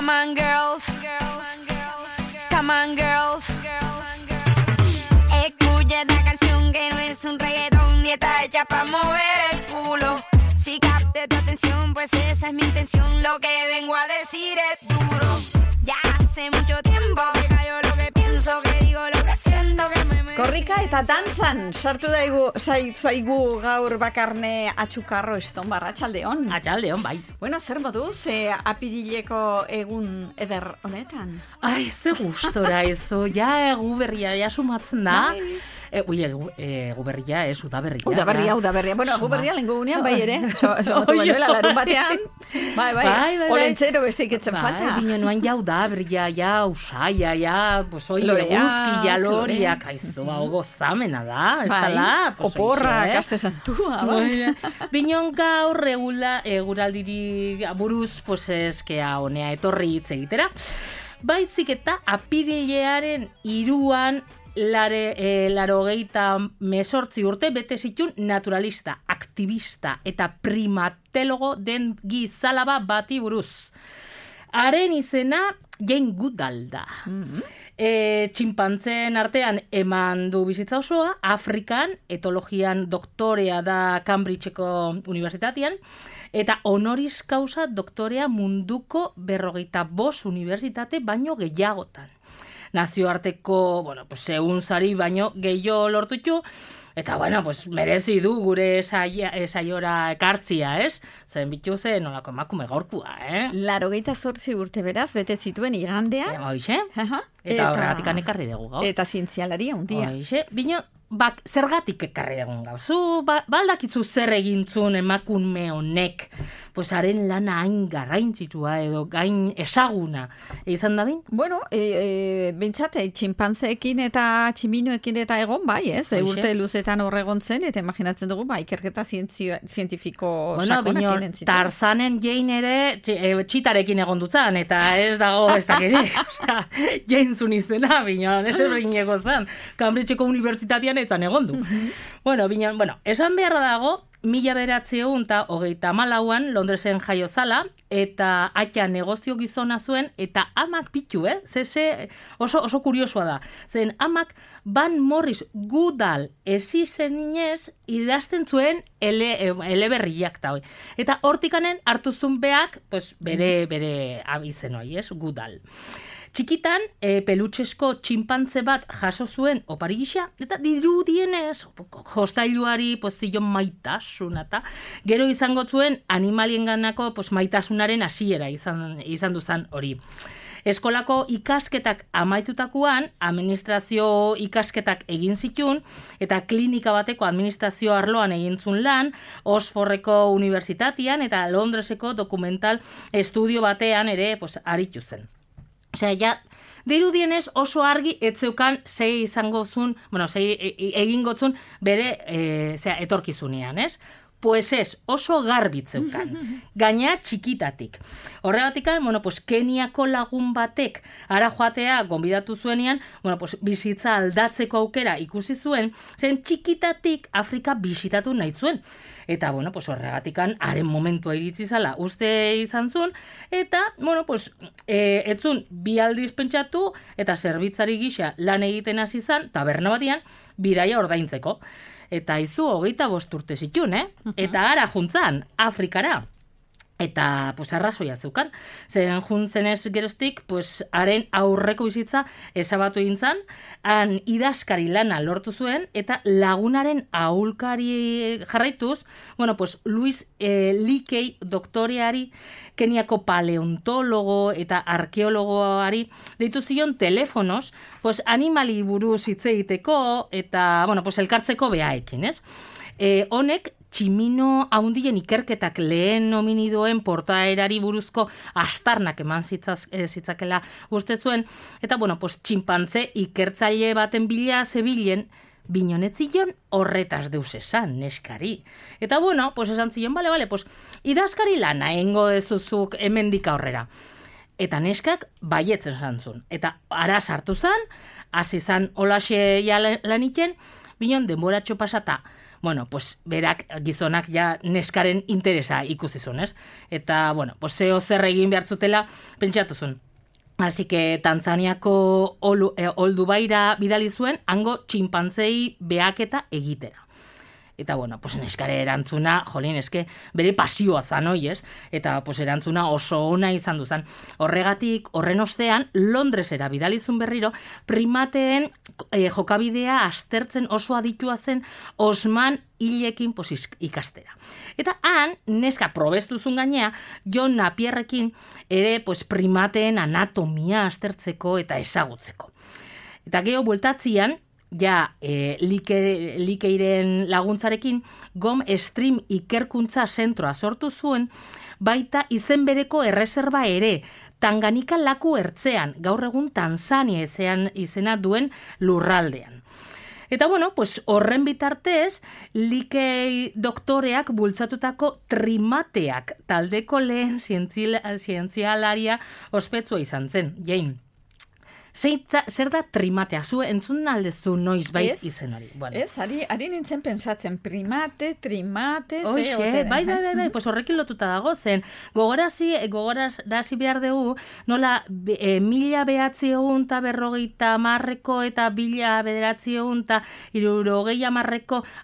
Come on, girls. Come on, girls. Escucha esta canción que no es un reggaetón y está hecha para mover el culo. Si capte tu atención, pues esa es mi intención. Lo que vengo a decir es duro. Ya hace mucho tiempo que callo lo que pienso, que digo lo que siento, que me... Korrika eta dantzan sartu zaigu gaur Bakarne Atxukarro Estonbar, atxaldeon. Atxaldeon, bai. Bueno, zer moduz, apirileko egun eder honetan? Ai, ze gustora ezo, ja egu berria, ja sumatzen da. Egu berria, ez, udaberria. Udaberria. Bueno, egu berria lengo gunean, bai ere. Somatu banuela, larun batean. Bai. Olentzero beste iketzen falta. Bino noan ja udaberria, ja usaia, ja, pues oi, eguzki, ja loriak, aizu, hau gozamena da, ez dala. Oporra, kaste santua, bai. Binon gaur eguraldiri buruz, pues eskea honea etorri hitz egitera. Baizik eta apirilearen 3an 88 urte bete zitun naturalista, aktivista eta primatologo den gizalaba bati buruz. Haren izena Jane Goodall da. Txinpantzen artean eman du bizitza osoa, Afrikan etologian doktorea da Cambridgeko unibertsitatean, eta honoris causa doktorea munduko 45 unibertsitate baino gehiagotan. Nazioarteko, segunzari baino gehiago lortutu, eta, merezi du gure saiora ekartzia, ez? Zen bitu zen nolako emakume gaurkua, 88 urte beraz, bete zituen igandea. Hoixe, eta horregatik ekarri dugu gaur. Eta zientzialaria undia. Hoixe, bino, zergatik ekarri dugu gaur. Zu, baldakitzu zer egintzun emakume honek, pues haren lana hain garraintzitua edo gain esaguna izan dadin? Bueno, bintzat, txinpantzeekin eta tximinoekin eta egon bai, ez? Urte luzetan horregon zen, eta imaginatzen dugu, ikerketa zientifiko sakonak inen zitu. Tarzanen Jane ere txitarekin egon dutzan, eta ez dago ez dakirik. Jane zun izena, bineon, ez errein ego zan. Cambridgeko unibertsitatean etzan egon du. Esan beharra dago, 1934an Londresen jaio zala, eta aita negozio gizona zuen, eta amak pitu, oso kuriosoa da. Zen amak Van Morris Goodall esizenez idazten zuen eleberriak da. Eta hortikanen hartu zuen beak, bere abizen hoi, Goodall. Txikitan, pelutxesko txinpantze bat jaso zuen opari gisa, eta dirudienez, jostailuari zion maitasun, eta gero izango zuen animalienganako maitasunaren hasiera izan duzan hori. Eskolako ikasketak amaitutakoan, administrazio ikasketak egin zitun, eta klinika bateko administrazio arloan egin zuen lan, Oxfordeko unibertsitatean eta Londreseko dokumental estudio batean ere aritu zen. Osea, dirudienez oso argi etzeukan sei egingo zun bere etorkizunean, ez? Pues ez, oso garbitzeukan. Gaina txikitatik. Horregatik, Keniako lagun batek ara joatea gonbidatu zuenean, bizitza aldatzeko aukera ikusi zuen, zen txikitatik Afrika bisitatu nahi zuen. Eta, horregatikan, haren momentua iritsi zala uste izan zuen, eta, etzun bi aldiz pentsatu, eta zerbitzari gisa lan egiten hasi zan, taberna batian, bidaia ordaintzeko. Eta izu 25 urte zitun, Eta ara juntzan, Afrikara. Eta, arrazoia zeukan. Zen juntzenez geroztik, haren aurreko bizitza ezabatu egin zan, han idazkari lana lortu zuen, eta lagunaren ahulkari jarraituz, Luis Leakey doktoreari, Keniako paleontologo eta arkeologoari deitu zion telefonos, animali buruz hitz egiteko eta, elkartzeko behaekin, ez? Honek, tximino haundien ikerketak lehen hominidoen portaerari buruzko astarnak eman zitzakela uste zuen, eta, txinpantze ikertzaile baten bila zebilen, binonetzion horretaz deus esan, neskari. Eta, esan zion, idazkari lana engo ezuzuk hemendik aurrera. Eta neskak baietzen zantzun. Eta ara sartu zan, hasi zan holaxe laniken, binon denboratxo pasata, bueno, pues berak gizonak ja neskaren interesa ikusi zuen, ez? Eta, bueno, pues zeo zer egin behar zutela pentsatu zuen. Así que Tanzaniako Oldubaira bidali zuen, hango txinpantzei behaketa egitera. Eta, bueno, pues neskare erantzuna, jolin, eske bere pasioa zan, ez? Eta, pues erantzuna oso ona izan duzan. Horregatik, horren ostean, Londresera bidalizun berriro, primateen jokabidea aztertzen oso aditua zen Osman hilekin ikastera. Eta han, neska probestuzun gainea, John Napierrekin ere pues, primateen anatomia aztertzeko eta ezagutzeko. Eta geho bueltatzian, ja likeiren laguntzarekin GOM Stream ikerkuntza zentroa sortu zuen, baita izen bereko erreserba ere, Tanganika laku ertzean, gaur egun Tanzania izena duen lurraldean. Eta bueno, pues horren bitartez, Likei doktoreak bultzatutako trimateak taldeko lehen zientzialaria ospetsua izan zen, Jane. Zer da trimatea? Zu entzun aldezu noiz bait izen hori. Bueno. Ez, ari nintzen pensatzen primate, Oixe, bai, pues horrekin lotuta dago zen. Gogorarazi behar dugu, nola 1950 eta 1960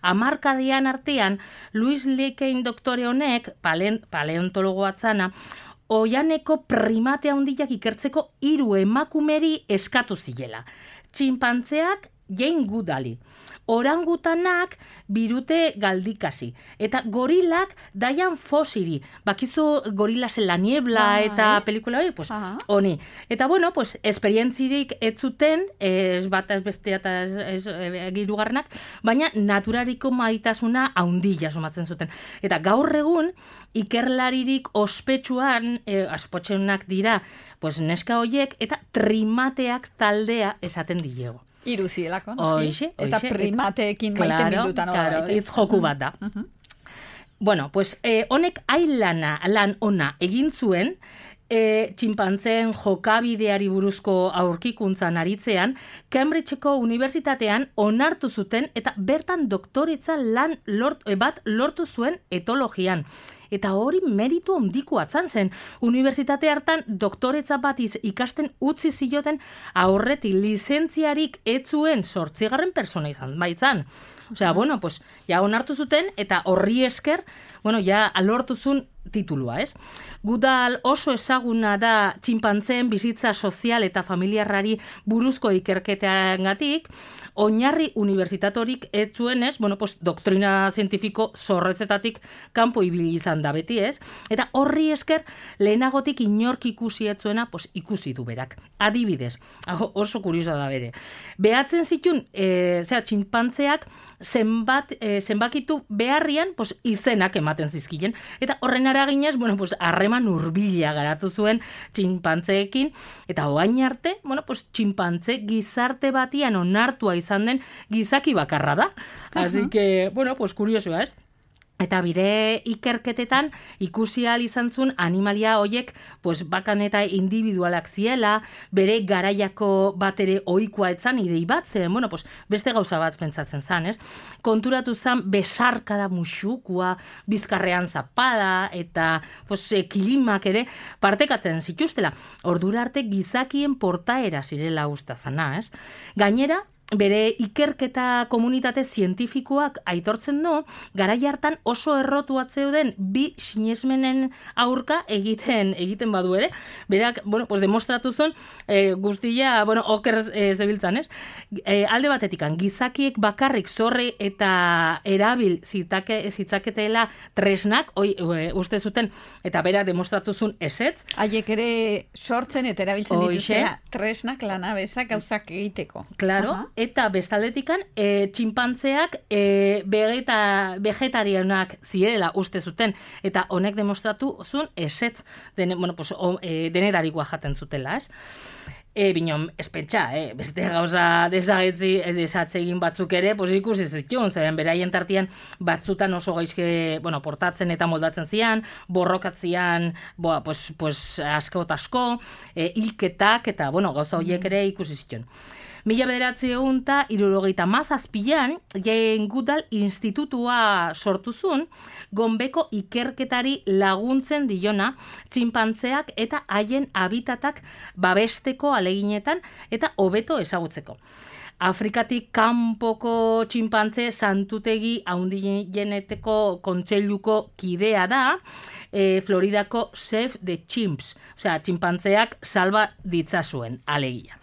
hamarkadian artean, Louis Leakey doktore honek, paleontologoa zana, oianeko primate handiak ikertzeko 3 emakumeri eskatu zilela. Txinpantzeak Jane Goodall, orangutanak Birute Galdikasi, eta gorilak Dian Fossey. Bakizu Gorilasen la niebla eta pelikula hori, pues honi. Eta bueno, pues esperientzirik ez zuten, ez bat ez bestea eta hirugarrenak, baina naturariko maitasuna handia sumatzen zuten. Eta gaur egun ikerlaririk ospetsuan, aspotxenak dira, pues neska hoiek eta trimateak taldea esaten dilego. Iruzielako, noski? Eta primateekin maite mindutan horra. Claro, hitz joku bat da. Bueno, pues honek lan ona egin zuen, txinpantzeen jokabideari buruzko aurkikuntzan aritzean, Cambridgeko unibertsitatean onartu zuten eta bertan doktoretza lan bat lortu zuen etologian. Eta hori meritu handikoa zen. Unibertsitate hartan doktoretza bat ikasten utzi zioten aurretik lizentziarik ez zuen 8. persona izan baitzan. Osea, bueno, pues, ja onartu zuten eta horri esker, bueno, ja lortu zuen titulua, ez? Goodall oso ezaguna da txinpantzeen bizitza sozial eta familiarrari buruzko ikerketeagatik, oinarri unibertsitatorik ez zuen, ez? Bueno, pues, doktrina zientifiko zorretzetatik kanpo ibili izan da beti, ez? Eta horri esker, lehenagotik inork ikusi ez zuena, pues, ikusi du berak. Adibidez, oso kuriosa da bere. Behatzen zitun, txinpantzeak zenbakitu beharrian, pues, izenak ematen zizkilen. Eta horren araginez, bueno, pues, harreman hurbila garatu zuen txinpantzeekin, eta oain arte, bueno, pues, txinpantze gizarte batian onartua izan den gizaki bakarra da. Así que, bueno, pues, kuriosoa, ez? Eta bire ikerketetan ikusi ahal izan zuen animalia hoiek pues, bakan eta individualak ziela, bere garaiako bat ere ohikoa etzan idei bat zen, bueno, pues, beste gauza bat pentsatzen zan, ez? Konturatu zan besarkada muxukua, bizkarrean zapada eta pues, kilimak ere partekatzen zituztela. Ordura arte gizakien portaera zirela usta zana, ez? Gainera, bere ikerketa komunitate zientifikoak aitortzen du, garai hartan oso errotu atzeuden bi sinesmenen aurka egiten badu ere. Berak, bueno, pues demostratu zuen guztia, bueno, oker zebiltzan, ez? Alde batetikan, gizakiek bakarrik zorre eta erabil zitzaketela tresnak, uste zuten, eta berak demostratu zuen ezetz. Haiek ere sortzen eta erabiltzen dituztea tresnak lanabesak gauzak egiteko. Claro. Eta bestaldetikan, txinpantzeak vegetarianak zirela uste zuten, eta honek demostratu zuen esetz denetarikoa jaten zutela, ez? Binon, espentsa, beste gauza desatzegin batzuk ere, ikusi zituen, zeren beraien tartian batzutan oso gaizke, portatzen eta moldatzen zian, borrokatzian, asko eta asko, hilketak, eta, gauza horiek ere ikusi zituen. 1977an Jane Goodall Institutua sortu zuen, gonbeko ikerketari laguntzen diona txinpantzeak eta haien habitatak babesteko aleginetan eta hobeto ezagutzeko. Afrikatik kanpoko txinpantze santutegi handieneteko kontseiluko kidea da, Floridako Save the Chimps, osea, txinpantzeak salba ditzazuen alegia.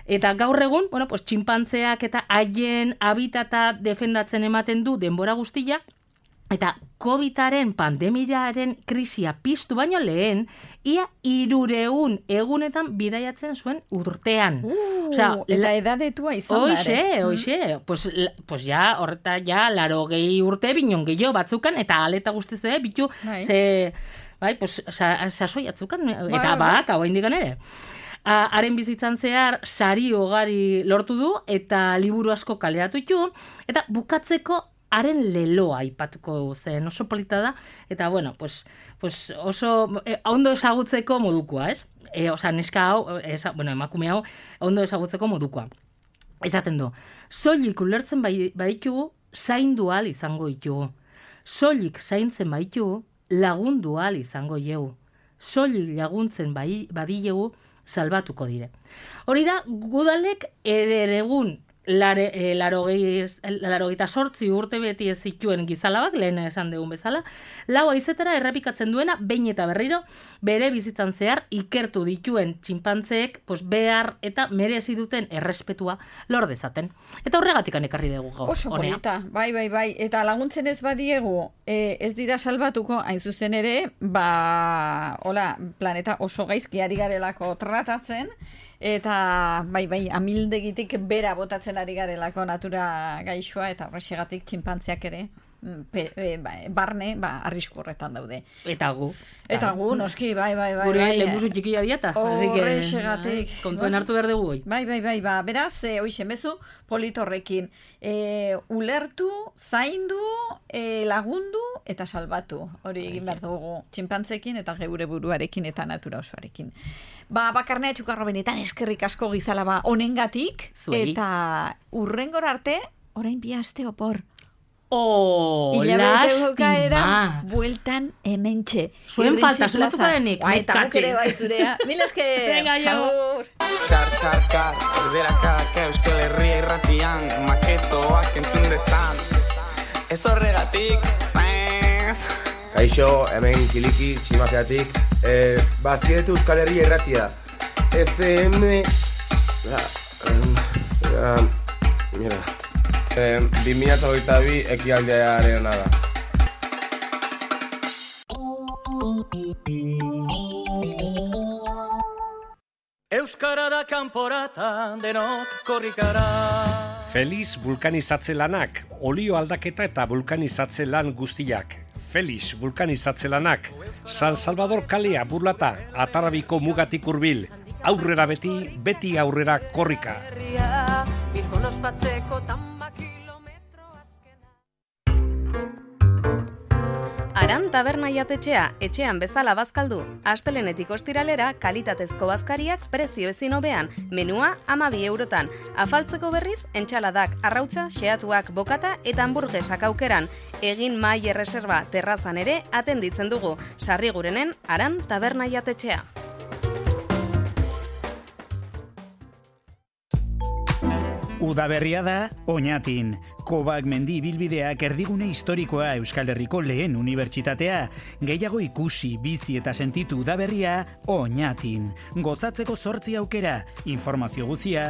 Eta gaur egun, txinpantzeak eta haien habitata defendatzen ematen du denbora guztia, eta COVID-aren pandemiaren krisia piztu baino lehen, ia 300 egunetan bidaiatzen zuen urtean. Eta edadetua izan da. Hoxe. Pues ja, horreta ja, 80 urte binon gehiago batzukan, eta aleta guztiz bitu, sasoi atzukan, eta hau indikan ere. Haren bizitzan zehar sari ugari lortu du, eta liburu asko kaleratu ditu, eta bukatzeko haren leloa aipatuko zen, oso polita da, eta oso ondo ezagutzeko modukoa, ez? Neska hau, emakume hau, ondo ezagutzeko modukoa. Esaten du, soilik ulertzen baditugu, zaindu ahal izango ditugu. Soilik zaintzen baditugu, lagundu ahal izango dugu. Soilik laguntzen badilegu, salbatuko dire. Hori da, Goodallek egun 88 urte beti ez zituen gizalabak, lehen esan dugun bezala, 4 haizetara errepikatzen duena, behin eta berriro, bere bizitzan zehar ikertu dituen txinpantzeek behar eta merezi duten errespetua lor dezaten. Eta horregatik ekarri dugu gaur. Oso polita, bai. Eta laguntzen ez badiegu, ez dira salbatuko, hain zuzen ere, planeta oso gaizki ari garelako tratatzen, eta amildegitik bera botatzen ari garelako natura gaixoa, eta horrexegatik txinpantzeak ere barne, arrisku horretan daude. Eta gu. Noski, bai. Gure lehenguzu txikia dieta. Horrexegatik. Kontuen hartu behar dugu. Bai. Beraz, hoixen bezu, politorrekin. Ulertu, zaindu, lagundu eta salbatu. Hori egin behar dugu txinpantzekin eta geure buruarekin eta natura osoarekin. Bakarnea txukarro benetan eskerrik asko gizalaba honengatik. Eta urrengor arte, orain 2 aste opor. Lastima. Bueltan hementxe. Zuen falta, zulatuko denik. Eta guk ere bai zurea. Mil esker. Venga, jo. Kar, erderakak Euskal Herria irratian, maketoak entzun dezan. Ez horregatik, Kaixo, hemen kiliki, tximazeatik. Bazkietu Euskal Herria irratia. FM... Mira... 2022 ekialdearena da. Euskara da kanporata denok korrikara. Feliz vulkanizatze lanak, olio aldaketa eta vulkanizatze lan guztiak. Feliz vulkanizatze lanak, San Salvador kalea burlata, Atarrabiko mugatik hurbil. Aurrera beti aurrera korrika. Aran taberna jatetxea, etxean bezala bazkaldu. Astelenetik ostiralera, kalitatezko bazkariak prezio ezin hobean, menua 12 eurotan. Afaltzeko berriz, entxaladak, arrautza, xeatuak, bokata eta hamburgesak aukeran. Egin mai erreserba terrazan ere atenditzen dugu. Sarrigurenen Aran taberna jatetxea. Udaberria da Oñatin. Kobak mendi ibilbideak erdigune historikoa Euskal Herriko lehen unibertsitatea. Gehiago ikusi, bizi eta sentitu udaberria Oñatin. Gozatzeko 8 aukera. Informazio guzia